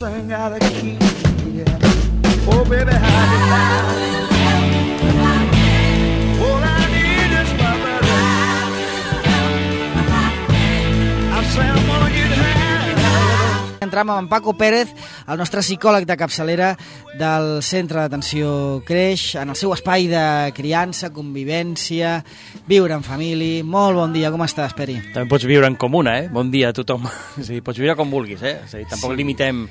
Oh, baby, how you lie. All I need is my brother. I say I'm gonna get high. Entrem amb en Paco Pérez, el nostre psicòleg de capçalera del Centre d'Atenció Creix, en el seu espai de criança, convivència, viure en família. Molt bon dia, com estàs, Peri? També pots viure en comuna, Bon dia a tothom. És a dir, pots viure com vulguis, És a dir, tampoc limitem,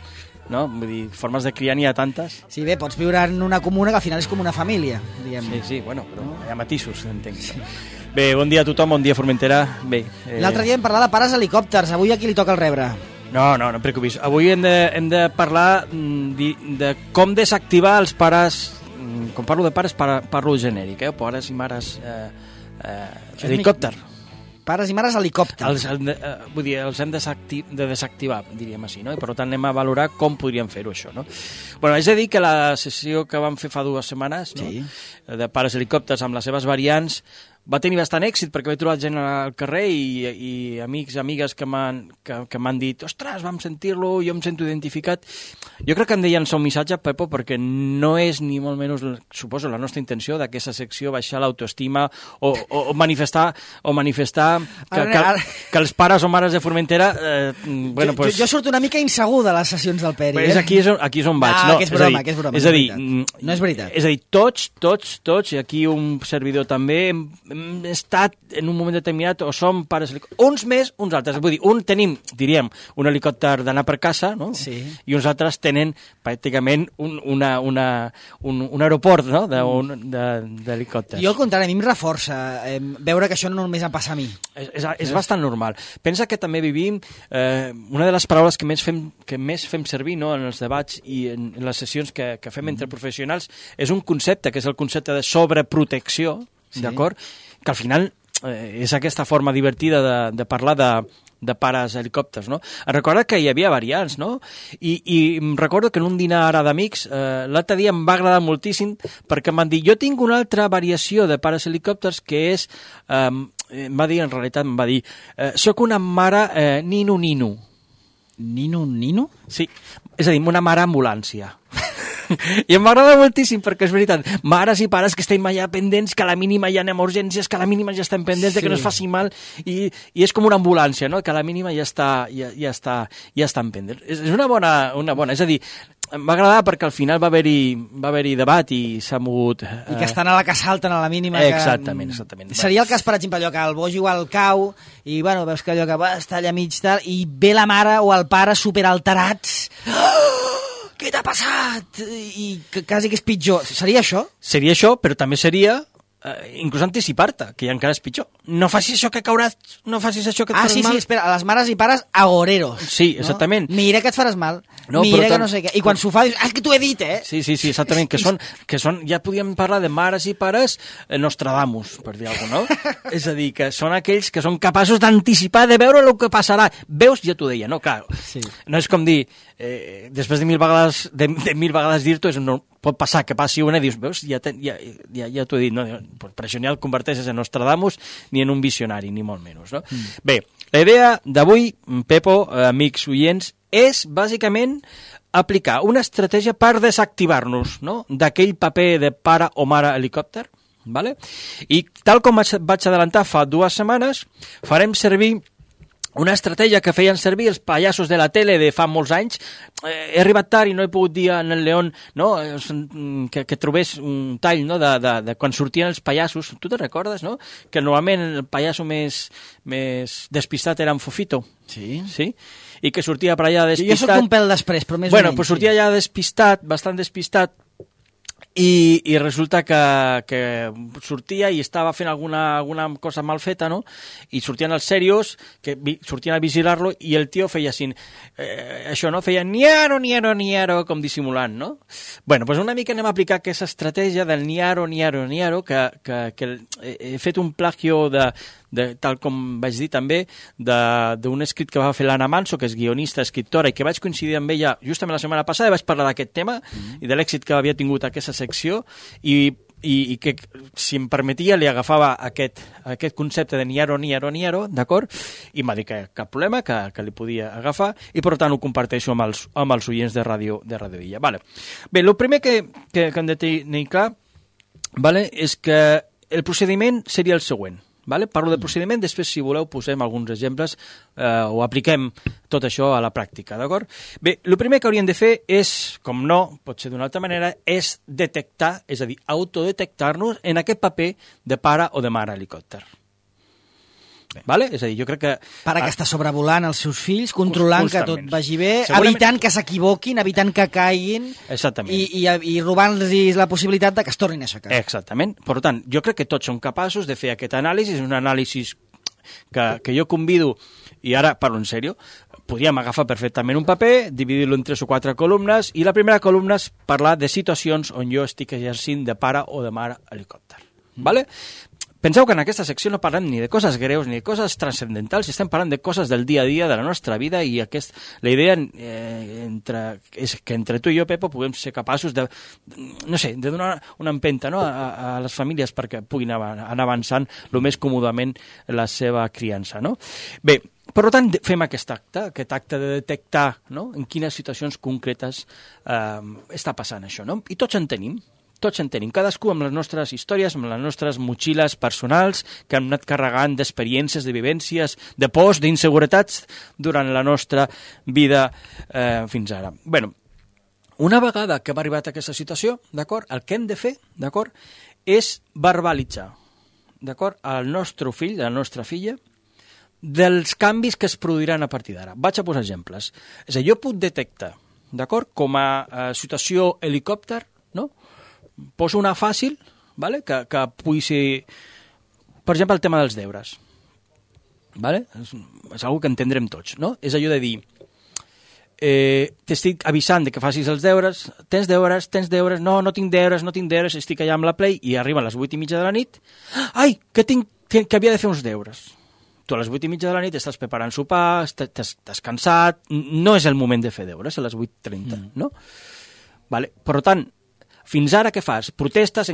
no? Vull dir, formes de criar n'hi ha tantes. Sí, bé, pots viure en una comuna que al final és com una família, diguem. Sí, bueno, però hi ha matisos, entenc. Bé, bon dia a tothom, bon dia Formentera. Bé, L'altre dia vam parlar de pares helicòpters, avui a qui li toca el rebre? No et preocupis. Avui hem de parlar de com desactivar els pares. Quan parlo de pares, parlo genèric, pares i mares helicòpter. Pares i mares helicòpters. Vull dir, els hem de desactivar, diríem així, no? I per tant anem a valorar com podríem fer-ho, això, no? Bueno, haig de dir que la sessió que vam fer fa 2 setmanes, no? Sí. De pares helicòpters amb les seves variants, va tenir bastant èxit perquè he trobat gent al carrer i amics, amigues que m'han dit ostres, vam sentir-lo, jo em sento identificat. Jo crec que hem de llançar un missatge, Pepo, perquè no és ni molt menys, suposo, la nostra intenció d'aquesta secció baixar l'autoestima o manifestar que els pares o mares de Formentera... Jo surto una mica insegur de les sessions del Peri. Aquí és on vaig. No, que és broma, que és broma. És a dir, no és veritat. És a dir, tots, i aquí un servidor també, hem estat en un moment determinat o som pares helicòpters, uns més, uns altres. Vull dir, tenim, diríem, un helicòpter d'anar per casa, no? Sí. I uns altres tenen pràcticament un aeroport, no? D'helicòpters. Jo al contrari, a mi em reforça veure que això no només em passa a mi. És bastant normal. Pensa que també vivim una de les paraules que més fem servir, no, en els debats i en les sessions que fem entre professionals és un concepte, que és el concepte de sobreprotecció, sí. D'acord? Que al final és aquesta forma divertida de parlar de pares helicòpters, no? Em recordo que hi havia variants, no? I em recordo que en un dinar ara d'amics l'altre dia em va agradar moltíssim perquè em van dir, jo tinc una altra variació de pares helicòpters que és, em va dir, soc una mare nino. Nino? Sí, és a dir, una mare ambulància. I em va agradar moltíssim perquè és veritat, mares i pares que estem allà pendents, que a la mínima hi ha emergències, que a la mínima ja estem pendents de que no es faci mal i és com una ambulància, no? Que a la mínima ja estan pendents. És una bona, és a dir, em va agradar perquè al final va haver-hi debat i s'ha mogut... I que estan a la que salten a la mínima. Exactament. Seria el cas, per exemple, allò que el bojo al cau i, bueno, veus que allò que està allà mig tal i ve la mare o el pare superalterats... Què t'ha passat? I quasi que és pitjor. Seria això? Seria això, però també seria inclús anticipar-te, que ja encara és pitjor. No facis això que cauràs, no facis això que et faràs mal. Sí, espera, les mares i pares agoreros. Sí, exactament. No? Mira que et faràs mal, no, mira que no sé què. I quan s'ho fa, dius, que t'ho he dit, Sí, exactament, que són, ja podíem parlar de mares i pares Nostradamus, per dir alguna cosa, no? És a dir, que són aquells que són capaços d'anticipar, de veure el que passarà. Veus, ja t'ho deia, no? Clar, sí. No és com dir, després de 1000 vegades dir-t'ho, no pot passar que passi una i dius, veus, ja t'ho he dit, no? Per això ni el converteixes en Nostradamus ni en un visionari, ni molt menys, no? Bé, la idea d'avui, Pepo, amics oients, és bàsicament aplicar una estratègia per desactivar-nos, no?, d'aquell paper de pare o mare helicòpter, ¿vale? I tal com vaig adelantar fa 2 setmanes, farem servir una estratègia que feien servir els pallassos de la tele de fa molts anys. He arribat tard i no he pogut dir en el León, no?, que trobés un tall, no?, de quan sortien els pallassos. Tu te recordes, no?, que normalment el pallasso més despistat era en Fofito. Sí. Sí? I que sortia per allà despistat. Jo soc un pèl després, però més bueno, o menys. Pues sortia allà despistat, bastant despistat, i resulta que sortia i estava fent alguna cosa mal feta, no? I sortien els serios, que sortien a vigilar-lo, i el tio feia així, això, no? Feia niaro, com dissimulant, no? Bueno, doncs una mica anem a aplicar aquesta estratègia del niaro, que he fet un plagio tal com vaig dir també, d'un escrit que va fer l'Anna Manso, que és guionista, escriptora, i que vaig coincidir amb ella justament la setmana passada, i vaig parlar d'aquest tema i de l'èxit que havia tingut aquesta secció, i i que, si em permetia, li agafava aquest concepte de niaro, d'acord? I em va dir que cap problema, que li podia agafar, i per tant ho comparteixo amb els oients de Ràdio Illa. Vale. Bé, el primer que hem de tenir clar, vale, és que el procediment seria el següent. Vale? Parlo de procediment, després, si voleu, posem alguns exemples o apliquem tot això a la pràctica, d'acord? Bé, el primer que hauríem de fer és, com no, pot ser d'una altra manera, és detectar, és a dir, autodetectar-nos en aquest paper de pare o de mare helicòpter. Vale? És a dir, jo crec que... Pare que està sobrevolant els seus fills, controlant que tot vagi bé, evitant que s'equivoquin, evitant que caiguin i robant-los la possibilitat de que es tornin a aixecar. Exactament. Per tant, jo crec que tots som capaços de fer aquest anàlisi, és un anàlisi que jo convido, i ara parlo en sèrio, podríem agafar perfectament un paper, dividir-lo en 3 o 4 columnes, i la primera columna és parlar de situacions on jo estic exercint de pare o de mare helicòpter. Vale? Penseu que en aquesta secció no parlem ni de coses greus ni de coses transcendentals, estem parlant de coses del dia a dia de la nostra vida, i la idea és que entre tu i jo, Pepo, puguem ser capaços de donar una empenta, no, a les famílies perquè puguin anar avançant el més còmodament la seva criança. No? Bé, per tant, fem aquest acte de detectar, no, en quines situacions concretes està passant això. No? I tots en tenim. Cadascú amb les nostres històries, amb les nostres motxilles personals que hem anat carregant d'experiències, de vivències, de pors, d'inseguretats durant la nostra vida fins ara. Bé, una vegada que hem arribat a aquesta situació, d'acord, el que hem de fer, d'acord, és verbalitzar, d'acord, al nostre fill, a la nostra filla, dels canvis que es produiran a partir d'ara. Vaig a posar exemples. És a dir, jo puc detectar, d'acord, com a situació helicòpter, no?, poso una fàcil, vale? que pugui ser, per exemple, el tema dels deures. Vale? És una que entendrem tots, no? És allò de dir, t'estic avisant de que facis els deures, tens deures, no tinc deures, estic allà amb la Play, i arriba a les 8:30 de la nit, ai, que havia de fer uns deures. Tu a les 8:30 de la nit estàs preparant sopar, t'has cansat, no és el moment de fer deures, a les 8:30, no? Vale? Per tant, fins ara què fas? Protestes,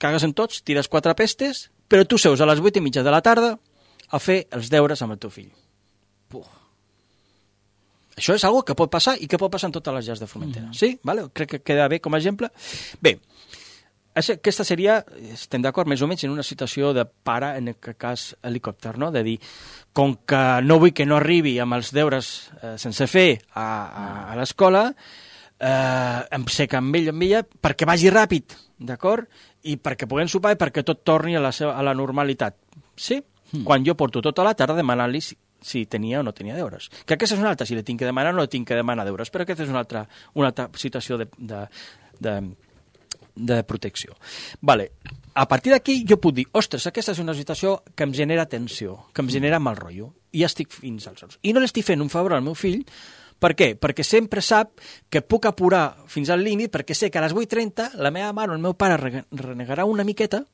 cagues en tots, tires 4 pestes, però tu seus a les 8:30 de la tarda a fer els deures amb el teu fill. Això és una cosa que pot passar i que pot passar en totes les llars de Formentera. Sí? Vale? Crec que queda bé com a exemple. Bé, aquesta seria, estem d'acord, més o menys en una situació de pare, en aquest cas helicòpter, no? De dir, com que no vull que no arribi amb els deures sense fer a l'escola, em seca amb ella perquè vagi ràpid, d'acord? I perquè puguem sopar i perquè tot torni a la normalitat. Sí? Quan jo porto tota la tarda demanant-li si tenia o no tenia deures. Que aquesta és una altra, si li tinc que demanar o no tinc que demanar deures, però aquesta és una altra situació de protecció. Vale. A partir d'aquí jo puc dir, ostres, aquesta és una situació que em genera tensió, que em genera mal rotllo, i estic fins als ous. I no l'estic fent un favor al meu fill. Per què? Perquè sempre sap que puc apurar fins al límit, perquè sé que a les 8:30 la meva mare o el meu pare renegarà una miqueta,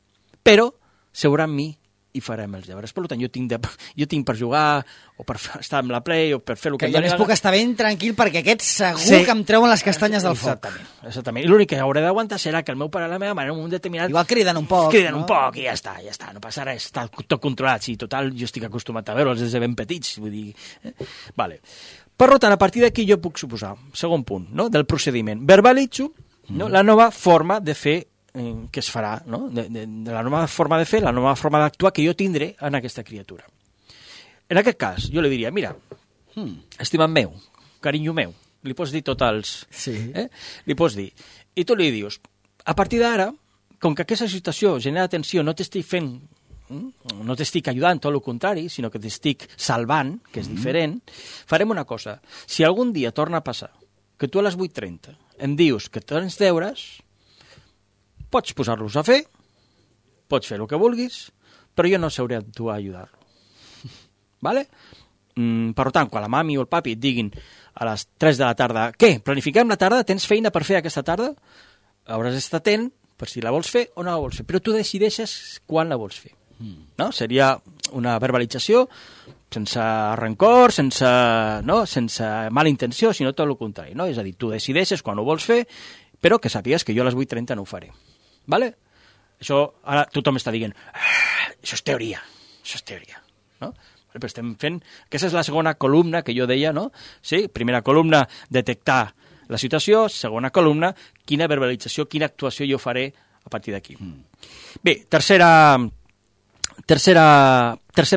però seurà amb mi i farem els deures. Per tant, jo tinc per jugar, o per estar amb la Play, o per fer el que... Que jo més puc estar ben tranquil, perquè aquests segur que em treuen les castanyes del foc. Exactament. I l'únic que hauré d'aguantar serà que el meu pare i la meva mare en un moment determinat... Igual criden un poc, un poc i ja està, no passa res, està tot controlat. Sí, total, jo estic acostumat a veure'ls des de ben petits, vull dir... Vale. Per tant, a partir d'aquí jo puc suposar, segon punt, no?, del procediment. Verbalitzo, no?, la nova forma de fer que es farà, no?, de la nova forma de fer, la nova forma d'actuar que jo tindré en aquesta criatura. En aquest cas, jo li diria, mira, estimat meu, carinyo meu, li pots dir tots els... Sí. Li pots dir. I tu li dius, a partir d'ara, com que aquesta situació genera tensió, no t'estic ajudant, tot el contrari, sinó que t'estic salvant, que és diferent, farem una cosa. Si algun dia torna a passar que tu a les 8:30 em dius que tens deures, pots posar-los a fer, pots fer el que vulguis, però jo no sabré a tu a ajudar-lo. Vale? Per tant, quan la mami o el papi et diguin a les 3 de la tarda, què, planifiquem la tarda, tens feina per fer aquesta tarda? Hauràs d'estar atent per si la vols fer o no la vols fer, però tu decideixes quan la vols fer. No? Seria una verbalització sense rancor, sense mala intenció, sinó tot el contrari. No? És a dir, tu decideixes quan ho vols fer, però que sàpigues que jo a les 8:30 no ho faré. Vale? Això ara tothom està dient, això és teoria, no? Però estem fent... Aquesta és la segona columna que jo deia, no? Sí, primera columna, detectar la situació, segona columna, quina verbalització, quina actuació jo faré a partir d'aquí. Bé, tercer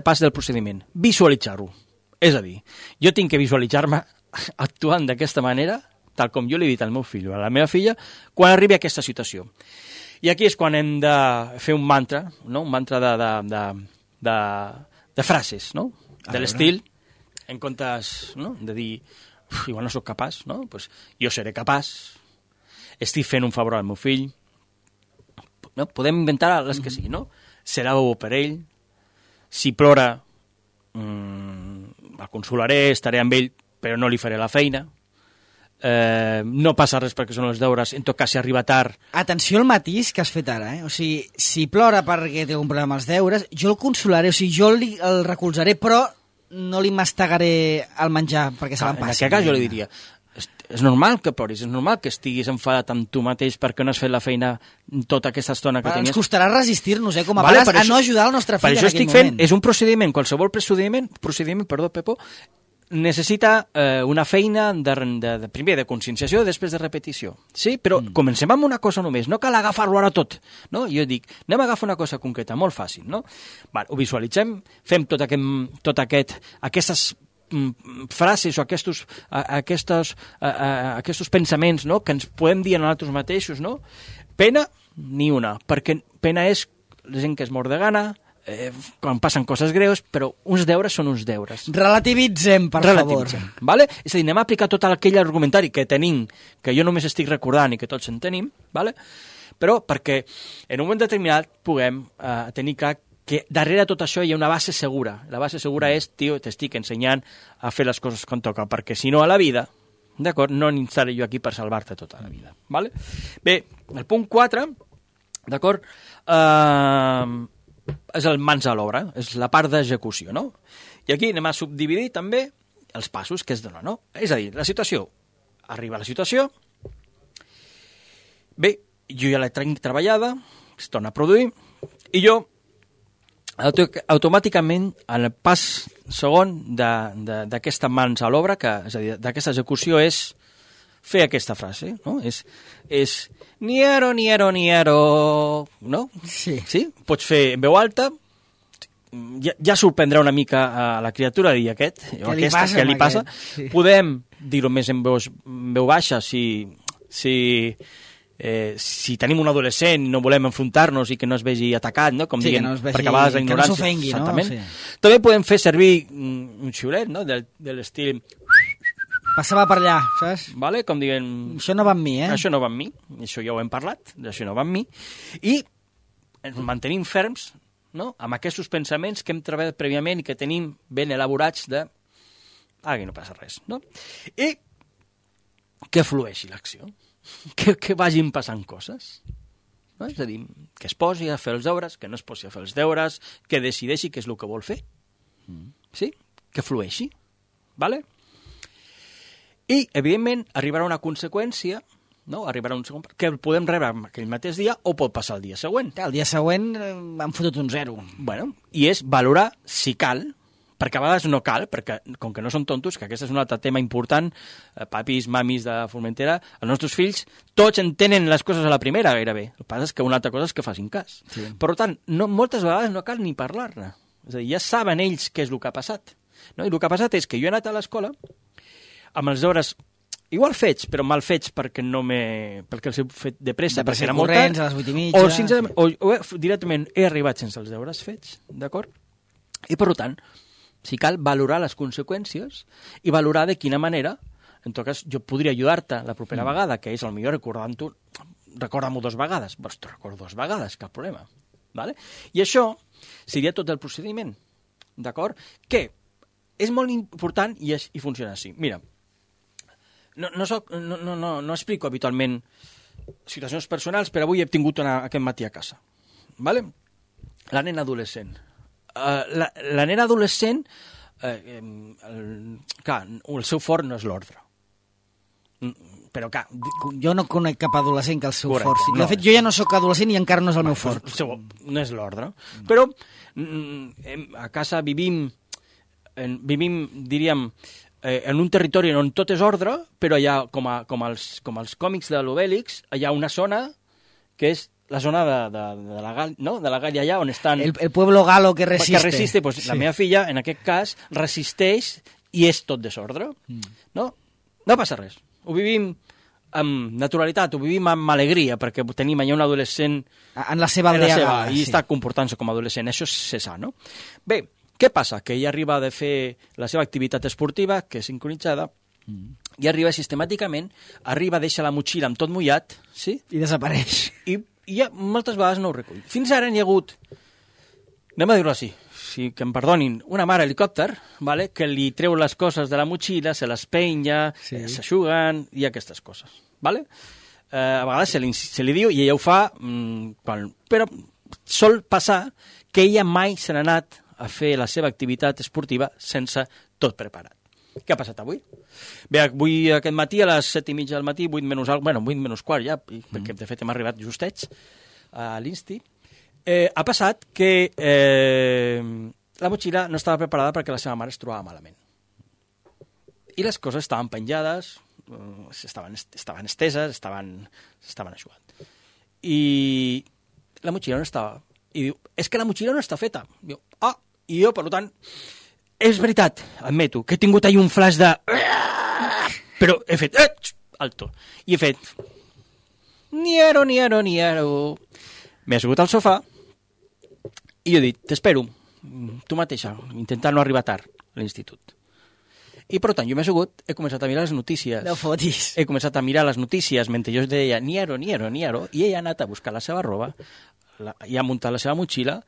pas del procediment, visualitzar-ho. És a dir, jo tinc que visualitzar-me actuant d'aquesta manera, tal com jo li he dit al meu fill o a la meva filla, quan arribi a aquesta situació. I aquí és quan hem de fer un mantra, no? Un mantra de frases, no? De l'estil, en comptes, no? De dir, igual no sóc capaç, no? Pues jo seré capaç, estic fent un favor al meu fill, no? Podem inventar les que sigui, no? Serà bo per ell, si plora, el consolaré, estaré amb ell, però no li faré la feina, no passa res perquè són els deures, en tot cas si arriba tard... Atenció al matís que has fet ara, O sigui, si plora perquè té un problema amb els deures, jo el consolaré, o sigui, jo el recolzaré, però no li mastegaré el menjar perquè se l'empassi. En aquest cas jo li diria, és normal que ploris, és normal que estiguis enfadat amb tu mateix perquè no has fet la feina tota aquesta estona que tenies. Ens costarà resistir-nos, com a pares, a no ajudar el nostre fill en aquell moment. Per això estic fent, és un procediment, qualsevol procediment, Pepo, necessita una feina primer de conscienciació i després de repetició. Sí? Però comencem amb una cosa només, no cal agafar-lo ara tot. No? Jo dic, anem a agafar una cosa concreta, molt fàcil. No? Vale, ho visualitzem, fem aquestes frases o aquests pensaments, no? Que ens podem dir a nosaltres mateixos. No? Pena, ni una, perquè pena és la gent que es mor de gana, quan passen coses greus, però uns deures són uns deures. Relativitzem, per favor. Vale? És a dir, anem a aplicar tot aquell argumentari que tenim, que jo només estic recordant i que tots en tenim, vale? Però perquè en un moment determinat puguem tenir clar que darrere tot això hi ha una base segura. La base segura és, tio, t'estic ensenyant a fer les coses com toca, perquè si no a la vida, d'acord, no estaré jo aquí per salvar-te tota la vida. Vale? Bé, el punt 4, d'acord, és el mans a l'obra, és la part d'execució, no? I aquí anem a subdividir també els passos que es donen, no? És a dir, la situació, arriba la situació, bé, jo ja la tinc treballada, es torna a produir, i jo automàticament, en el pas segon d'aquesta mans a l'obra, és a dir, d'aquesta execució és fer aquesta frase, no? És niero, niero, niero, no? Sí. Sí? Pots fer en veu alta, ja sorprendrà una mica a la criatura i aquest, o aquesta, què li passa. Sí. Podem dir-ho més en veu baixa si tenim un adolescent i no volem enfrontar-nos i que no es vegi atacat, no? Com sí, dient, no vegi, perquè a vegades la ignorància... Que no s'ofengui, no? Sí. També podem fer servir un xiulet, no? De l'estil... Passava per allà, saps? Vale? Com dient... Això no va amb mi, Això no va amb mi, això ja ho hem parlat, això no va amb mi. I ens mantenim ferms, no? Amb aquests pensaments que hem treballat prèviament i que tenim ben elaborats de... Aquí no passa res, no? I que flueixi l'acció, que vagin passant coses. No? És a dir, que es posi a fer els deures, que no es posi a fer els deures, que decideixi què és el que vol fer. Sí? Que flueixi. Vale? I, evidentment, arribarà una conseqüència, no? Arribarà un segon, que el podem rebre aquell mateix dia o pot passar el dia següent. El dia següent han fotut un 0. Bueno, i és valorar si cal, perquè a vegades no cal, perquè com que no són tontos, que aquest és un altre tema important, papis, mamis de Formentera, els nostres fills, tots entenen les coses a la primera gairebé. El que passa és que una altra cosa és que facin cas. Sí. Per tant, moltes vegades no cal ni parlar-ne. És a dir, ja saben ells què és el que ha passat. No? I el que ha passat és que jo he anat a l'escola amb els deures igual fets, però mal fets perquè els he fet de pressa, perquè era molt tard, a les 8:30. O directament he arribat sense els deures fets, d'acord? I per tant, si cal valorar les conseqüències i valorar de quina manera, en tot cas, jo podria ajudar-te la propera vegada, que és potser recordant-ho, recorda-m'ho 2 vegades, doncs t'ho recordo 2 vegades, cap problema. Vale? I això seria tot el procediment, d'acord? Que és molt important i funciona així. Mira, no explico habitualment situacions personals, però avui he tingut una aquest matí a casa. Vale? La nena adolescent. La nena adolescent, clar, el seu fort no és l'ordre. però clar... Jo no conec cap adolescent que el seu Correcte, fort sigui. no. De fet, jo ja no sóc adolescent i encara no és el meu fort. No és l'ordre. Però a casa vivim, diríem, en un territori on tot és ordre, però hi ha, com els còmics de l'Obèlix, hi ha una zona que és la zona de la Gàlia, no? De la Gàlia allà on estan... El pueblo galo que resiste. Que resiste, pues, sí. La meva filla, en aquest cas, resisteix i és tot desordre. No? No passa res. Ho vivim amb naturalitat, ho vivim amb alegria, perquè tenim allà un adolescent... En la seva aldea gala, i està comportant-se com a adolescent. Això és sa, no? Bé, què passa? Que ella arriba de fer la seva activitat esportiva, que és sincronitzada, i arriba sistemàticament, deixa la motxilla amb tot mullat, sí? I desapareix. I ja moltes vegades no ho recull. Fins ara n'hi ha hagut, anem a dir-ho així, si que em perdonin, una mare helicòpter, vale, que li treu les coses de la motxilla, se les penya, s'aixuguen i aquestes coses. Vale? A vegades se li diu i ella ho fa, però sol passar que ella mai se n'ha anat a fer la seva activitat esportiva sense tot preparat. Què ha passat avui? Bé, avui aquest matí a les 7:30 del matí, 8 menys quart ja, perquè de fet hem arribat justets a l'Insti, ha passat que la motxilla no estava preparada perquè la seva mare es trobava malament. I les coses estaven penjades, estaven esteses, estaven eixugant. I la motxilla no estava. I diu, és que la motxilla no està feta. Diu, i jo, per tant, és veritat, admeto, que he tingut ahir un flash de... Però he fet... Alto. I he fet... Niero. M'he assegut al sofà i jo he dit, t'espero, tu mateixa, intentar no arribar tard a l'institut. I, per tant, jo m'he assegut, he començat a mirar les notícies. No fotis. He començat a mirar les notícies mentre jo deia niero, i ella ha anat a buscar la seva roba, i ha muntat la seva motxilla,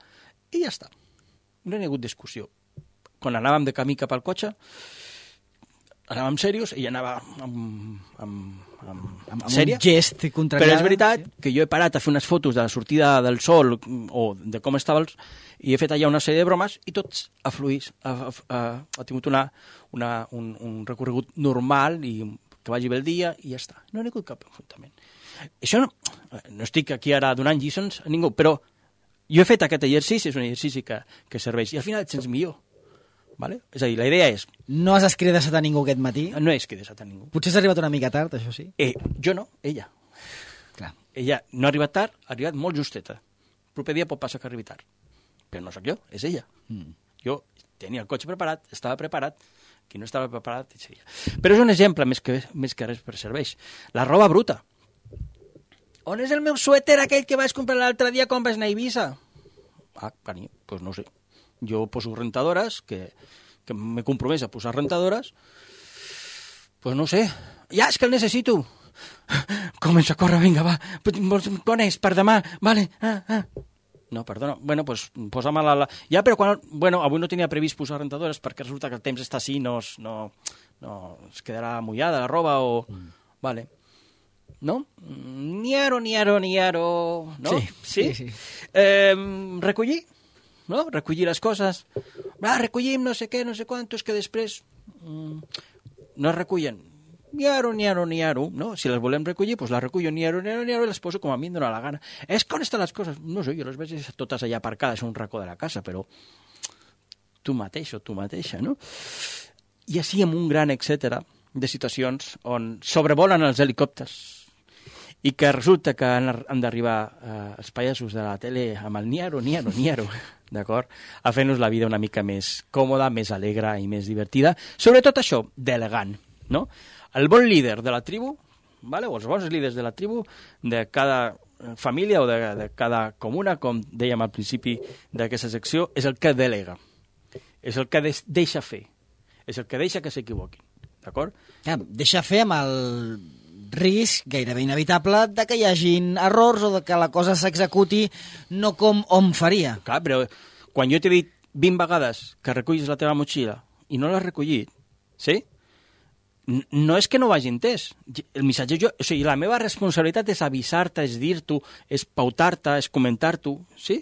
i ja està. No hi ha hagut discussió. Quan anàvem de camí cap al cotxe, anàvem serios, ella anava amb sèria. Un gest contrariat. Però és veritat que jo he parat a fer unes fotos de la sortida del sol o de com estava i he fet allà una sèrie de bromes i tots ha fluït, ha tingut un recorregut normal i que vagi bé el dia i ja està. No hi ha hagut cap enfrontament. Això no estic aquí ara donant lliçons a ningú, però jo he fet aquest exercici, és un exercici que serveix i al final et sents millor. Vale? És a dir, la idea és... No has escridessat a ningú aquest matí? No he escridessat a ningú. Potser has arribat una mica tard, això sí? Jo no, ella. Clar. Ella no ha arribat tard, ha arribat molt justeta. El proper dia pot passar que arribi tard. Però no sóc jo, és ella. Jo tenia el cotxe preparat, estava preparat, qui no estava preparat, seria. Però és un exemple més que res per serveix. La roba bruta. On és el meu suèter aquell que vaig comprar l'altre dia quan vaig anar a Eivissa? Carinyo, doncs no sé. Jo poso rentadores, que m'he compromès a posar rentadores, pues no sé. Ja, és que el necessito. Comença a córrer, vinga, va. Quan és? Per demà? Vale. No, perdona. Bueno, pues posa-me la... Ja, però quan... Bueno, avui no tenia previst posar rentadores perquè resulta que el temps està així, no es quedarà mullada la roba o... Vale. No? Niaro. No? Sí. Recollir? No? Recollir les coses. Recollim no sé què, no sé quantos, que després no es recullen. Niaro. No? Si les volem recollir, doncs les recullo niaro i les poso com a mi em dóna la gana. És que on estan les coses? No sé, jo les veig totes allà aparcades a un racó de la casa, però tu mateix o tu mateixa, no? I així amb un gran etcètera de situacions on sobrevolen els helicòpters i que resulta que han d'arribar els pallassos de la tele amb el niaro, d'acord? A fer-nos la vida una mica més còmoda, més alegre i més divertida. Sobretot això, d'elegant, no? El bon líder de la tribu, vale? O els bons líders de la tribu, de cada família o de cada comuna, com dèiem al principi d'aquesta secció, és el que delega, és el que deixa fer, és el que deixa que s'equivoquin, d'acord? Deixa fer amb el risc gairebé inevitable de que hi hagin errors o de que la cosa s'executi no com hom faria. Clar, però quan jo t'he dit 20 vegades que recullis la teva motxilla i no l'has recollit, sí? No és que no ho hagi entès. El missatge o sigui, la meva responsabilitat és avisar-te, és dir-t'ho, és pautar-te, és comentar-t'ho, sí?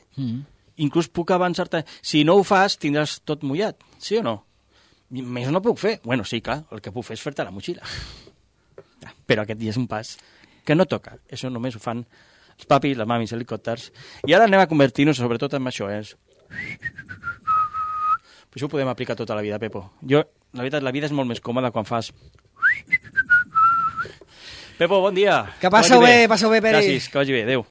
Inclús puc avançar-te. Si no ho fas, tindràs tot mullat, sí o no? Més no puc fer. Bueno, sí, clar, el que puc fer és fer-te la motxilla. Però aquest dia és un pas que no toca. Això només ho fan els papis, les mamis, helicòpters. I ara anem a convertir-nos sobretot en això, Això ho podem aplicar tota la vida, Pepo. La veritat, la vida és molt més còmoda quan fas... Pepo, bon dia. Que passeu bé, Peri. Gràcies, que vagi bé, adéu.